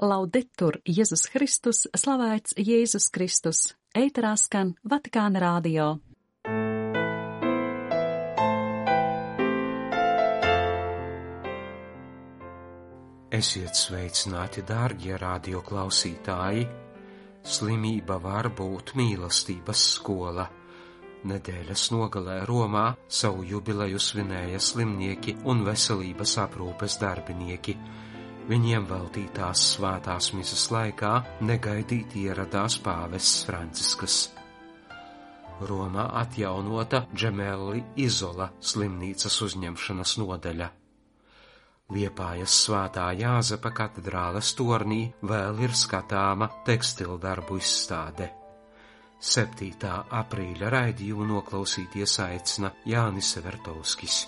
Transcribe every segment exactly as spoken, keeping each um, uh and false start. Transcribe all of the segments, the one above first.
Laudetur Jēzus Kristus, slavēts Jēzus Kristus, ēterā skan Vatikāna radio. Esiet sveicināti, dārgie radio klausītāji! Slimība var būt mīlestības skola. Nedēļas nogalē Romā savu jubileju svinēja slimnieki un veselības aprūpes darbinieki. Viņiem veltītās svētās misas laikā negaidīti ieradās pāvests Francisks. Romā atjaunota Džemelli Izola slimnīcas uzņemšanas nodaļa. Liepājas Svētā Jāzepa katedrāles tornī vēl ir skatāma tekstildarbu izstāde. septītā aprīļa raidījumu noklausīties aicina Jānis Vertovskis.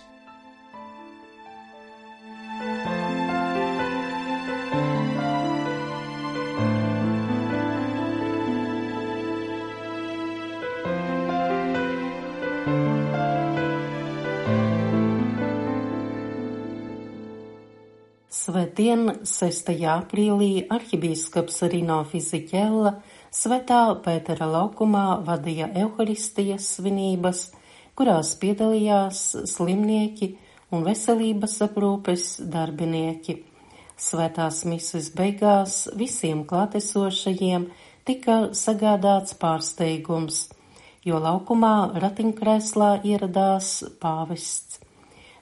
Svētdien, sestajā aprīlī, arhibīskaps Rino Fisichella Svētā Pētera laukumā vadīja Euharistijas svinības, kurās piedalījās slimnieki un veselības aprūpes darbinieki. Svētās mises beigās visiem klātesošajiem tika sagādāts pārsteigums, jo laukumā ratiņkrēslā ieradās pāvests.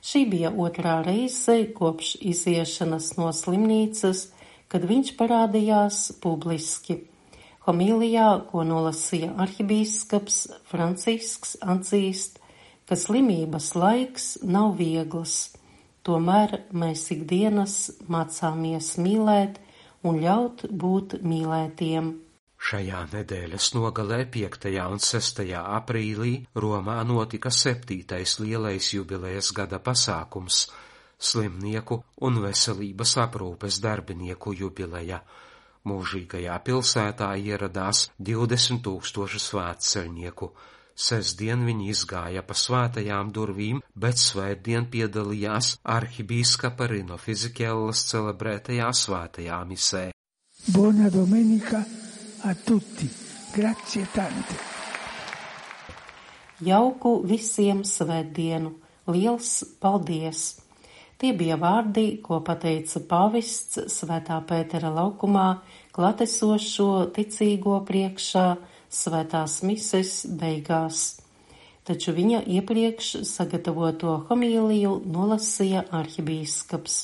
Šī bija otrā reize kopš iziešanas no slimnīcas, kad viņš parādījās publiski. Homīlijā, ko nolasīja arhibīskaps Francisks, atzīst, ka slimības laiks nav viegls, tomēr mēs ikdienas mācāmies mīlēt un ļaut būt mīlētiem. Šajā nedēļas nogalē piektajā un sestajā aprīlī Romā notika septītais lielais jubilejas gada pasākums – slimnieku un veselības aprūpes darbinieku jubileja. Mūžīgajā pilsētā ieradās divdesmit tūkstoši svētceļnieku. Sestdien viņi izgāja pa svētajām durvīm, bet svētdien piedalījās arhibīskapa Rino Fisikellas celebrētajā svētajā misē. Buona domenica a tutti. Grazie tante. Jauku visiem svētdienu. Liels paldies! Tie bija vārdi, ko pateica pāvests Svētā Pētera laukumā klātesošo ticīgo priekšā svētās mises beigās. Taču viņa iepriekš sagatavoto homīliju nolasīja arhibīskaps.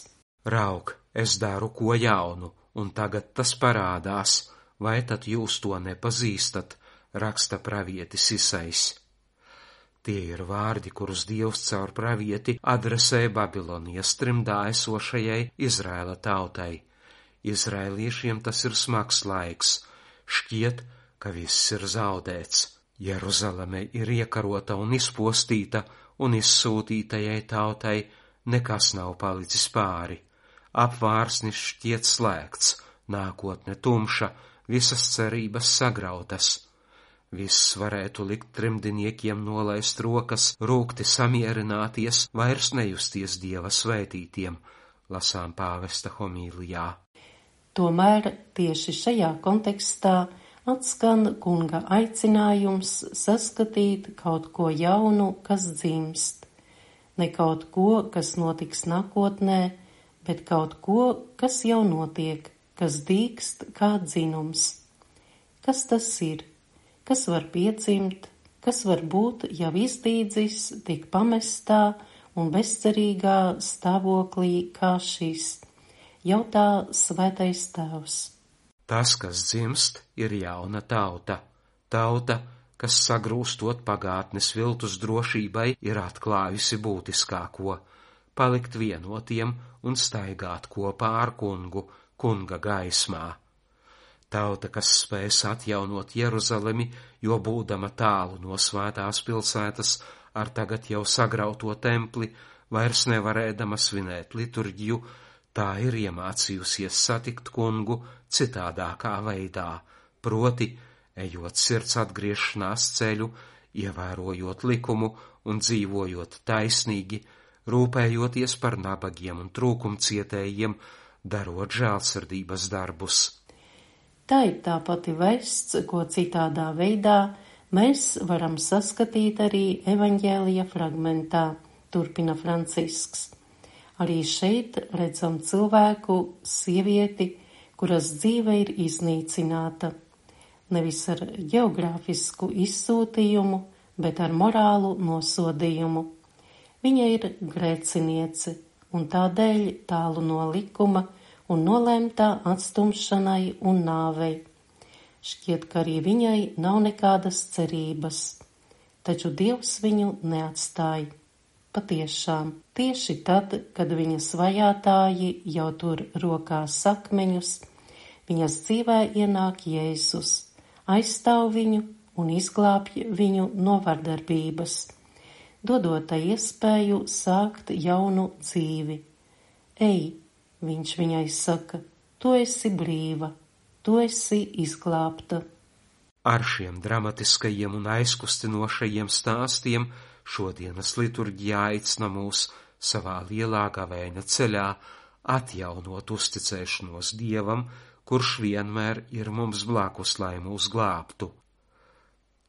Rauk, es daru ko jaunu, un tagad tas parādās. Vai tad jūs to nepazīstat, raksta pravietis Isais. Tie ir vārdi, kurus Dievs caur pravieti adresē Babilonijas trimdā esošajai Izraēla tautai. Izraēliešiem tas ir smags laiks. Šķiet, ka viss ir zaudēts. Jeruzaleme ir iekarota un izpostīta, un izsūtītajai tautai nekas nav palicis pāri. Apvārsnis šķiet slēgts, nākotne tumša, visas cerības sagrautas. Viss varētu likt trimdiniekiem nolaist rokas, rūgti samierināties, vairs nejusties Dieva svētītiem, lasām pāvesta homīlijā. Tomēr tieši šajā kontekstā atskan kunga aicinājums saskatīt kaut ko jaunu, kas dzimst. Ne kaut ko, kas notiks nākotnē, bet kaut ko, kas jau notiek, kas dīkst kā dzinums. Kas tas ir? Kas var piedzimt? Kas var būt jau izdīdzis tik pamestā un bezcerīgā stāvoklī kā šis? Jautā Svētais Tēvs. Tas, kas dzimst, ir jauna tauta. Tauta, kas sagrūstot pagātnes viltus drošībai, ir atklājusi būtiskāko – palikt vienotiem un staigāt kopā ar kungu, kunga gaismā. Tauta, kas spēs atjaunot Jeruzalemi, jo būdama tālu no svētās pilsētas ar tagad jau sagrauto templi, vairs nevarēdama svinēt liturģiju, tā ir iemācījusies satikt kungu citādākā veidā, proti, ejot sirds atgriešanās ceļu, ievērojot likumu un dzīvojot taisnīgi, rūpējoties par nabagiem un trūkumcietējiem, darot žēlsirdības darbus. Tā ir tā pati vests, ko citādā veidā mēs varam saskatīt arī evaņģēlija fragmentā, turpina Francisks. Arī šeit redzam cilvēku, sievieti, kuras dzīve ir iznīcināta. Nevis ar geogrāfisku izsūtījumu, bet ar morālu nosodījumu. Viņa ir grēciniece un tādēļ tālu no likuma un nolēmtā atstumšanai un nāvei. Šķiet, ka arī viņai nav nekādas cerības, taču Dievs viņu neatstāja. Patiešām, tieši tad, kad viņas vajātāji jau tur rokās sakmeņus, viņas dzīvē ienāk Jēzus, aizstāv viņu un izglābj viņu no vardarbības, dodot tai iespēju sākt jaunu dzīvi. Ej, viņš viņai saka, tu esi brīva, tu esi izglābta. Ar šiem dramatiskajiem un aizkustinošajiem stāstiem šodienas liturģijā aicina mūs savā lielā gavēņa ceļā atjaunot uzticēšanos Dievam, kurš vienmēr ir mums blakus, lai mūs glābtu.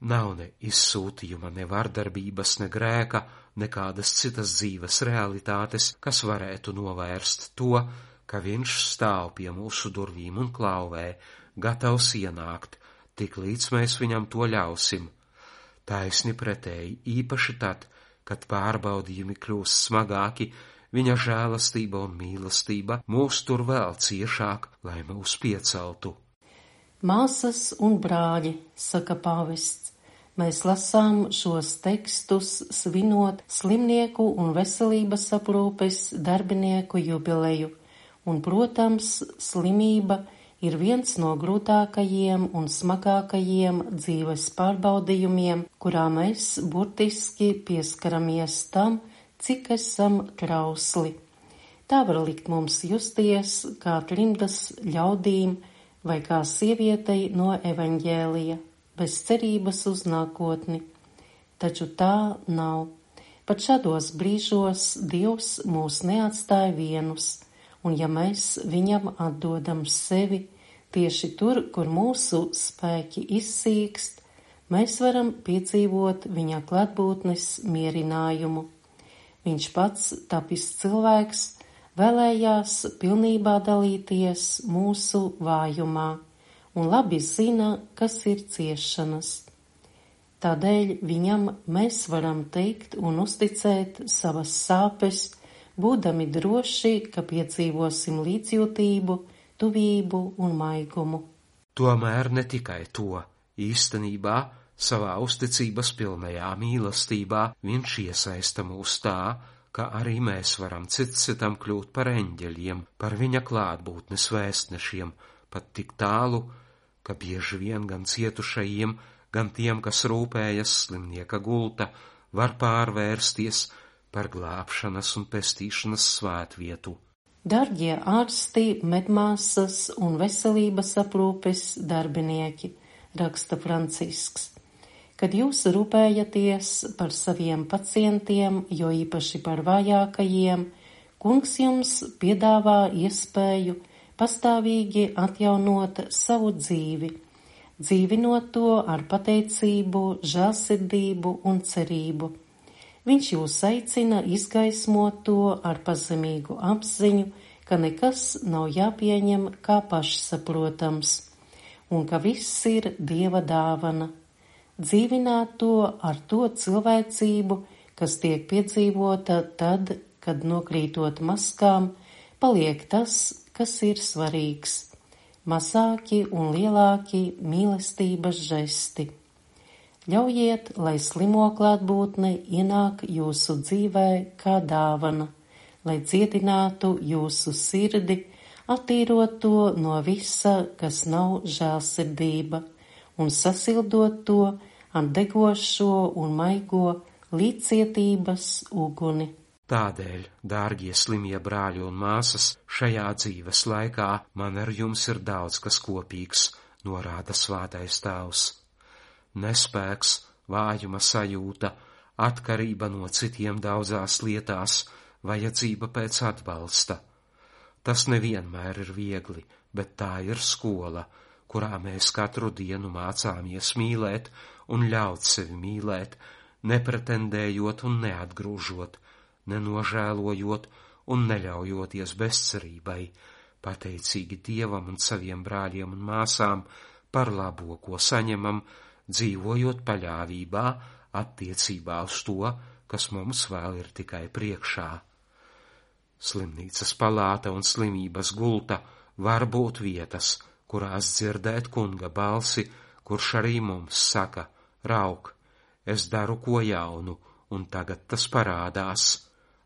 Nav ne izsūtījuma, ne vardarbības, ne grēka, nekādas citas dzīves realitātes, kas varētu novērst to, ka viņš stāv pie mūsu durvīm un klauvē, gatavs ienākt, tik līdz mēs viņam to ļausim. Taisni pretēji, īpaši tad, kad pārbaudījumi kļūst smagāki, viņa žēlastība un mīlestība mūs tur vēl ciešāk, lai mūs pieceltu. Māsas un brāļi, saka pāvests, mēs lasām šos tekstus svinot slimnieku un veselības aprūpes darbinieku jubileju, un, protams, slimība ir viens no grūtākajiem un smagākajiem dzīves pārbaudījumiem, kurā mēs burtiski pieskaramies tam, cik esam trausli. Tā var likt mums justies kā trimdas ļaudīm vai kā sievietei no evaņģēlija, bez cerības uz nākotni. Taču tā nav. Pat šādos brīžos Dievs mūs neatstāja vienus, un ja mēs viņam atdodam sevi, tieši tur, kur mūsu spēki izsīkst, mēs varam piedzīvot viņa klātbūtnes mierinājumu. Viņš pats, tapis cilvēks, vēlējās pilnībā dalīties mūsu vājumā un labi zina, kas ir ciešanas. Tādēļ viņam mēs varam teikt un uzticēt savas sāpes, būdami droši, ka piedzīvosim līdzjūtību, tuvību un maigumu. Tomēr ne tikai to, īstenībā savā uzticības pilnajā mīlestībā viņš iesaista mūs tā, ka arī mēs varam cits citam kļūt par eņģeļiem, par viņa klātbūtnes vēstnešiem, pat tik tālu, ka bieži vien gan cietušajiem, gan tiem, kas rūpējas slimnieka gulta, var pārvērsties par glābšanas un pestīšanas svētvietu. Dargie ārsti, medmāsas un veselības aprūpes darbinieki, raksta Francisks. Kad jūs rūpējaties par saviem pacientiem, jo īpaši par vājākajiem, Kungs jums piedāvā iespēju pastāvīgi atjaunot savu dzīvi, dzīvinot to ar pateicību, žēlsirdību un cerību. Viņš jūs aicina izgaismot to ar pazemīgu apziņu, ka nekas nav jāpieņem kā pašsaprotams, un ka viss ir Dieva dāvana. Dzīvināt to ar to cilvēcību, kas tiek piedzīvota tad, kad nokrītot maskām, paliek tas, kas ir svarīgs – mazāki un lielāki mīlestības žesti. Ļaujiet, lai slimo klātbūtne ienāk jūsu dzīvē kā dāvana, lai dziedinātu jūsu sirdi, attīrot to no visa, kas nav žēlsirdība, un sasildot to ar degošo un maigo līdzcietības uguni. Tādēļ, dārgie slimie brāļi un māsas, šajā dzīves laikā man ar jums ir daudz kas kopīgs, norāda svētais tēvs. Nespēks, vājuma sajūta, atkarība no citiem daudzās lietās, vajadzība pēc atbalsta. Tas nevienmēr ir viegli, bet tā ir skola, kurā mēs katru dienu mācāmies mīlēt un ļaut sevi mīlēt, nepretendējot un neatgrūžot, nenožēlojot un neļaujoties bezcerībai, pateicīgi Dievam un saviem brāļiem un māsām par labo, ko saņemam, dzīvojot paļāvībā attiecībā uz to, kas mums vēl ir tikai priekšā. Slimnīcas palāta un slimības gulta var būt vietas, kurās dzirdēt kunga balsi, kurš arī mums saka: rauk, es daru ko jaunu, un tagad tas parādās,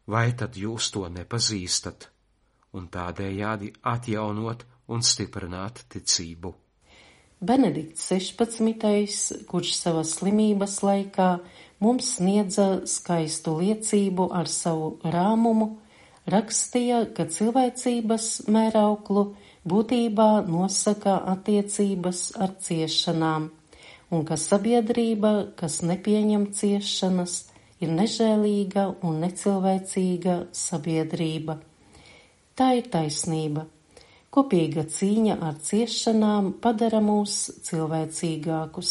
vai tad jūs to nepazīstat, un tādējādi atjaunot un stiprināt ticību. Benedikts sešpadsmitais, kurš savas slimības laikā mums sniedza skaistu liecību ar savu rāmumu, rakstīja, ka cilvēcības mērauklu būtībā nosaka attiecības ar ciešanām, un ka sabiedrība, kas nepieņem ciešanas, ir nežēlīga un necilvēcīga sabiedrība. Tā ir taisnība. Kopīga cīņa ar ciešanām padara mūs cilvēcīgākus,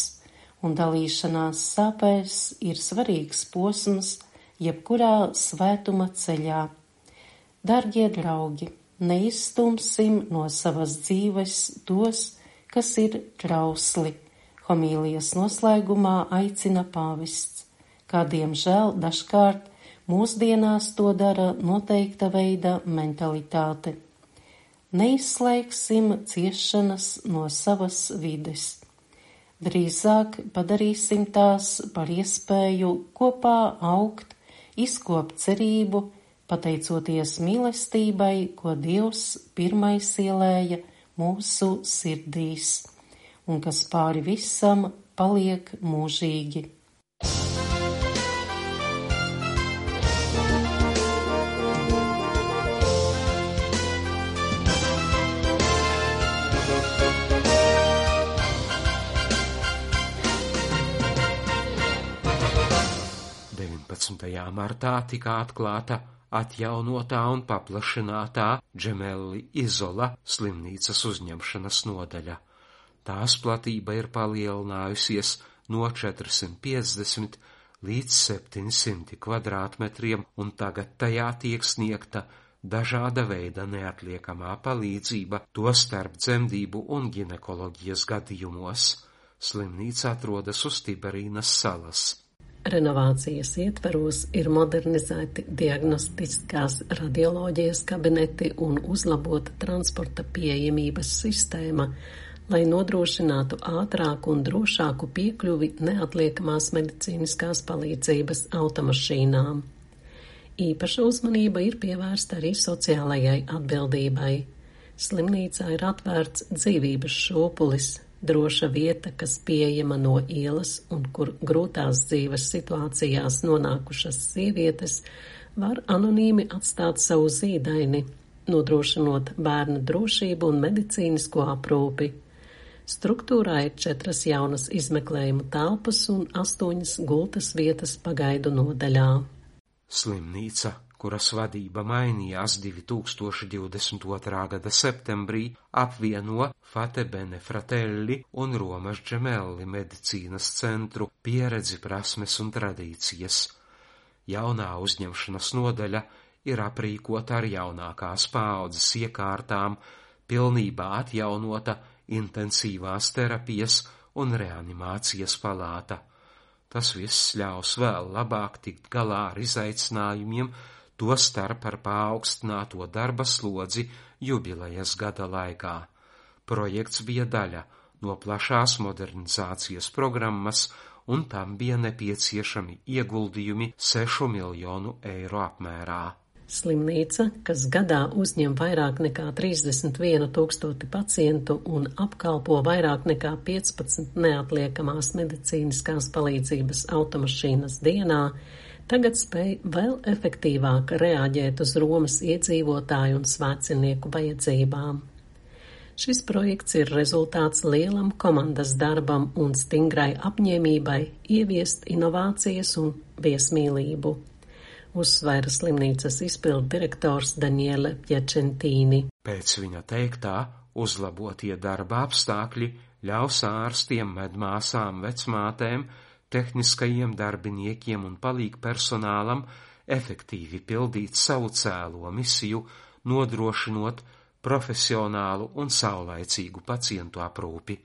un dalīšanās sāpēs ir svarīgs posms jebkurā svētuma ceļā. Dargie draugi, neizstumsim no savas dzīves tos, kas ir trausli, homīlijas noslēgumā aicina pāvests, kā diemžēl dažkārt mūsdienās to dara noteikta veida mentalitāte. Neizslēgsim ciešanas no savas vides. Drīzāk padarīsim tās par iespēju kopā augt, izkopt cerību, pateicoties mīlestībai, ko Dievs pirmais ielēja mūsu sirdīs, un kas pāri visam paliek mūžīgi. deviņpadsmitajā martā tika atklāta atjaunotā un paplašinātā Džemelli Izola slimnīcas uzņemšanas nodaļa. Tās platība ir palielinājusies no četrsimt piecdesmit līdz septiņsimt kvadrātmetriem, un tagad tajā tiek sniegta dažāda veida neatliekamā palīdzība, to starp dzemdību un ginekoloģijas gadījumos. Slimnīca atrodas uz Tiberīnas salas. Renovācijas ietveros ir modernizēti diagnostiskās radioloģijas kabineti un uzlabota transporta pieejamības sistēma, lai nodrošinātu ātrāku un drošāku piekļuvi neatliekamās medicīniskās palīdzības automašīnām. Īpaša uzmanība ir pievērsta arī sociālajai atbildībai. Slimnīcā ir atvērts dzīvības šūpulis, droša vieta, kas pieejama no ielas un kur grūtās dzīves situācijās nonākušas sievietes var anonīmi atstāt savu zīdaini, nodrošinot bērnu drošību un medicīnisko aprūpi. Struktūrā ir četras jaunas izmeklējuma telpas un astoņas gultas vietas pagaidu nodaļā. Slimnīca, kuras vadība mainījās divi tūkstoši divdesmit otrā gada septembrī, apvieno Fate Bene Fratelli un Romas Džemelli medicīnas centru pieredzi, prasmes un tradīcijas. Jaunā uzņemšanas nodaļa ir aprīkota ar jaunākās paaudzes iekārtām, pilnībā atjaunota intensīvās terapijas un reanimācijas palāta. Tas viss ļaus vēl labāk tikt galā ar izaicinājumiem, to starp ar paaugstināto darba slodzi jubilejas gada laikā. Projekts bija daļa no plašās modernizācijas programmas, un tam bija nepieciešami ieguldījumi sešu miljonu eiro apmērā. Slimnīca, kas gadā uzņem vairāk nekā trīsdesmit vienu tūkstoti pacientu un apkalpo vairāk nekā piecpadsmit neatliekamās medicīniskās palīdzības automašīnas dienā, tagad spēj vēl efektīvāk reaģēt uz Romas iedzīvotāju un svētcenieku vajadzībām. Šis projekts ir rezultāts lielam komandas darbam un stingrai apņēmībai ieviest inovācijas un viesmīlību. uzsvēra slimnīcas izpildu direktors Daniele Piacentīni. Pēc viņa teiktā, uzlabotie darba apstākļi ļaus ārstiem, medmāsām, vecmātēm, tehniskajiem darbiniekiem un palīgpersonālam efektīvi pildīt savu cēlo misiju, nodrošinot profesionālu un saulaicīgu pacientu aprūpi.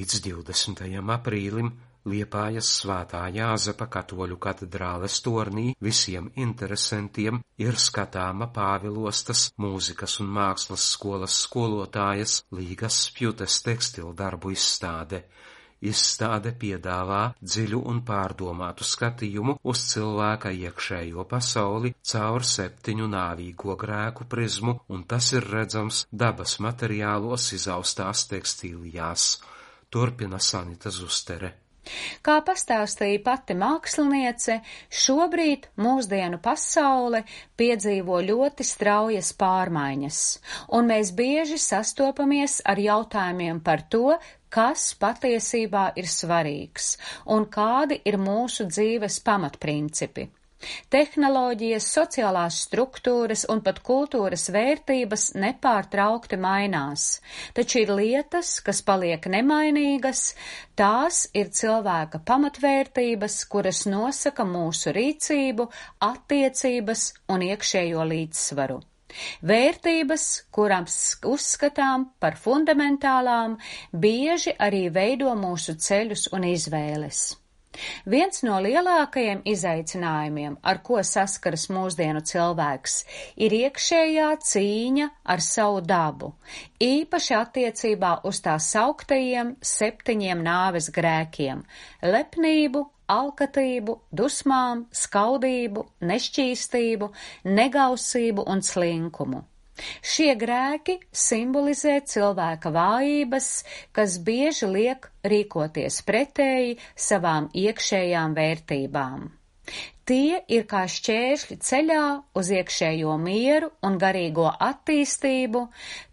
Līdz divdesmitajam aprīlim Liepājas Svētā Jāzepa katoļu katedrāles tornī visiem interesantiem ir skatāma Pāvilostas mūzikas un mākslas skolas skolotājas Līgas Spjutes tekstildarbu izstāde. Izstāde piedāvā dziļu un pārdomātu skatījumu uz cilvēka iekšējo pasauli caur septiņu nāvīgo grēku prizmu, un tas ir redzams dabas materiālos izaustās tekstilijās. Turpina Sanita Zustere. Kā pastāstīja pati māksliniece, šobrīd mūsdienu pasaule piedzīvo ļoti straujas pārmaiņas, un mēs bieži sastopamies ar jautājumiem par to, kas patiesībā ir svarīgs un kādi ir mūsu dzīves pamatprincipi. Tehnoloģijas, sociālās struktūras un pat kultūras vērtības nepārtraukti mainās, taču ir lietas, kas paliek nemainīgas, tās ir cilvēka pamatvērtības, kuras nosaka mūsu rīcību, attiecības un iekšējo līdzsvaru. Vērtības, kurām uzskatām par fundamentālām, bieži arī veido mūsu ceļus un izvēles. Viens no lielākajiem izaicinājumiem, ar ko saskaras mūsdienu cilvēks, ir iekšējā cīņa ar savu dabu, īpaši attiecībā uz tā sauktajiem septiņiem nāves grēkiem – lepnību, alkatību, dusmām, skaudību, nešķīstību, negausību un slinkumu. Šie grēki simbolizē cilvēka vājības, kas bieži liek rīkoties pretēji savām iekšējām vērtībām. Tie ir kā šķēršļi ceļā uz iekšējo mieru un garīgo attīstību,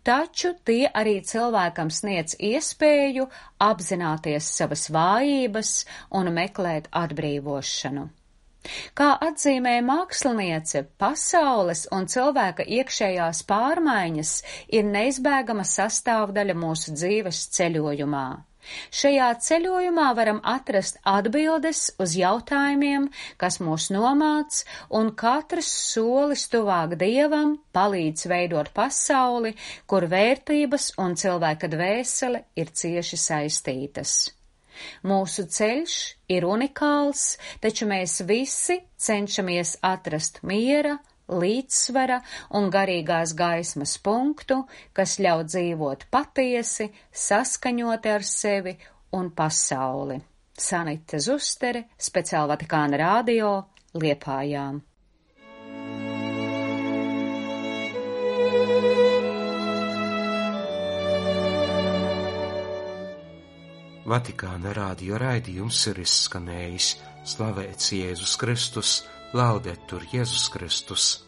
taču tie arī cilvēkam sniedz iespēju apzināties savas vājības un meklēt atbrīvošanu. Kā atzīmē māksliniece, pasaules un cilvēka iekšējās pārmaiņas ir neizbēgama sastāvdaļa mūsu dzīves ceļojumā. Šajā ceļojumā varam atrast atbildes uz jautājumiem, kas mūs nomāc, un katrs solis tuvāk Dievam palīdz veidot pasauli, kur vērtības un cilvēka dvēsele ir cieši saistītas. Mūsu ceļš ir unikāls, taču mēs visi cenšamies atrast miera, līdzsvara un garīgās gaismas punktu, kas ļauj dzīvot patiesi, saskaņoti ar sevi un pasauli. Sanita Zustere, speciāli Vatikāna radio, Liepājām. Vatikāna radio raidījums ir izskanējis. Slavēts Jēzus Kristus, laudetur Jēzus Kristus.